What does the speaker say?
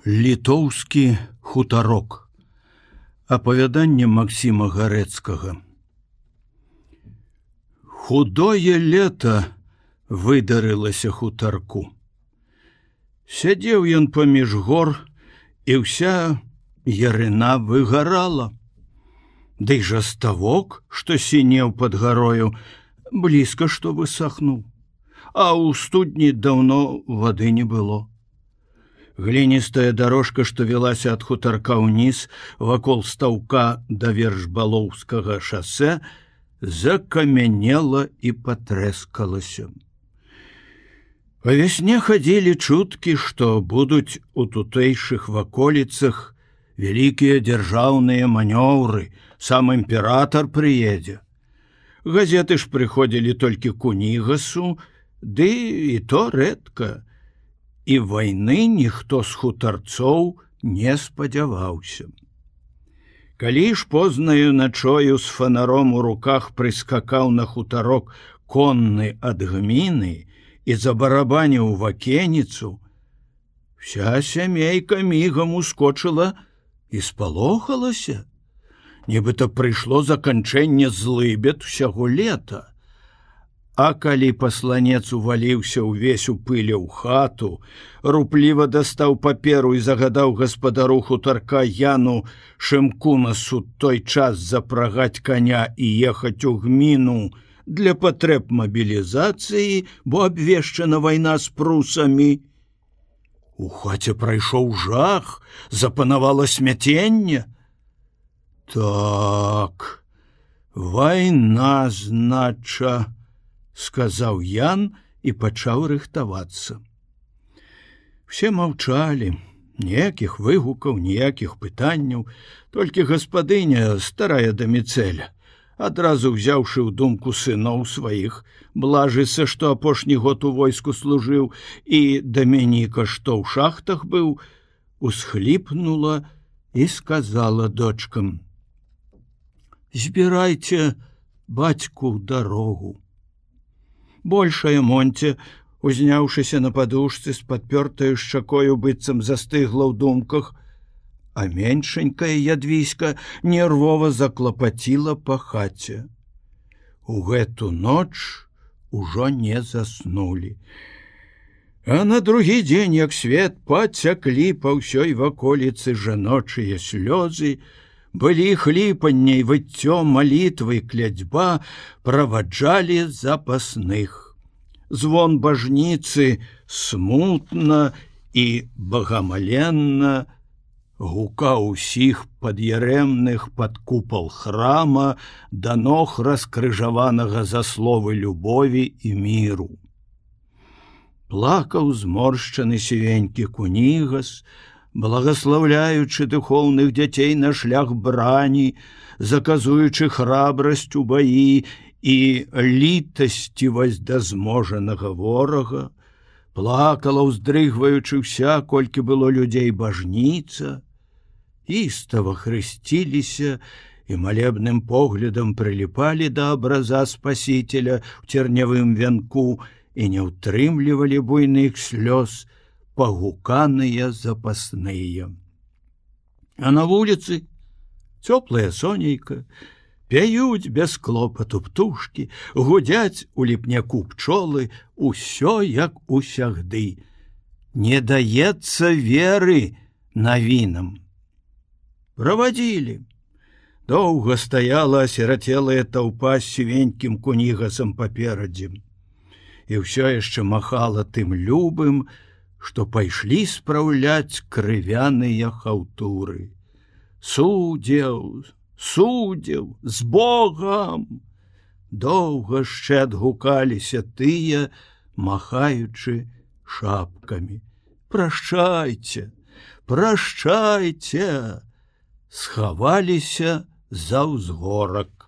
Літоўскі хутарок. Апавяданне Максіма Гарэцкага. Худое лета выдарылася хутарку. Сядзеў ён паміж гор, і ўся ярына выгарала. Дый жа ставок, што сінеў пад гарою, блізка што высахнуў, а ў студні даўно вады не было. Гліністая дорожка, што велася ад хутарка ўніз, вакол стаўка да Вершбалоўскага шасэ, закамянела і патрэскалася. Па вясне хадзілі чуткі, што будуць у тутэйшых ваколіцах вялікія дзяржаўныя манёўры, сам імператар прыедзе. Газеты ж прыходзілі толькі к Унігасу, ды і то рэдка. І вайны ніхто з хутарцоў не спадзяваўся. Калі ж познаю начою з фанаром у руках прыскакаў на хутарок конны ад гміны і забарабаніў вакеніцу, вся сямейка мігам ускочыла і спалохалася, нібыта прыйшло заканчэнне злыбед усяго лета. А калі пасланец уваліўся ўвесь у пыле ў хату, рупліва дастаў паперу і загадаў гаспадару хутарка Яну Шымкунасу той час запрагаць коня і ехаць у гміну для патрэб мабілізацыі, бо абвешчана вайна з прусамі. У хаце прайшоў жах, запанавала смяценне. Так, вайна, знача, сказаў Ян і пачаў рыхтавацца. Все маўчалі, ніякіх выгукаў, ніякіх пытанняў, толькі гаспадыня, старая Даміцэля, адразу ўзяўшы ў думку сыноў сваіх, Блажыса, што апошні год у войску служыў, і Дамяніка, што ў шахтах быў, усхліпнула і сказала дочкам: «Збірайце бацьку ў дарогу». Большая Монце, узняўшыся на падушцы з падпёртаю шчакою, быццам застыгла ў думках, а меншенькая Ядвіська нервова заклапаціла па хаце. У гэту ноч ужо не заснулі. А на другі дзень, як свет, пацяклі па ўсёй ваколіцы жаночыя слёзы, былі хліпанне і выццё, малітвы, клядзьба праваджалі запасных. Звон бажніцы смутна і багамаленна гукаў усіх пад'ярэмных пад купал храма да ног раскрыжаванага за словы любові і міру. Плакаў зморшчаны сівенькі Кунігас, благаслаўляючы духоўных дзяцей на шлях брані, заказуючы храбрасць у баі і літасцівасць да зможанага ворага, плакала, уздрыгваючы ўся, колькі было людзей, бажніца, істава хрысціліся і малебным поглядам прыліпалі да абраза Спасителя ў цернявым вянку і не ўтрымлівалі буйных слёз пагуканыя запасныя. А на вуліцы цёплая сонейка, пяюць без клопату птушкі, гудзяць у ліпняку пчолы, усё як усягды. Не даецца веры навінам. Правадзілі. Доўга стаяла асірацелая таўпа з сівенькім Кунігасам паперадзе. І ўсё яшчэ махала тым любым, што пайшлі спраўляць крывяныя хаўтуры. Судзеў, судзеў, з Богам! Доўга яшчэ адгукаліся тыя, махаючы шапкамі. Прашчайце, прашчайце! Схаваліся за ўзгорак.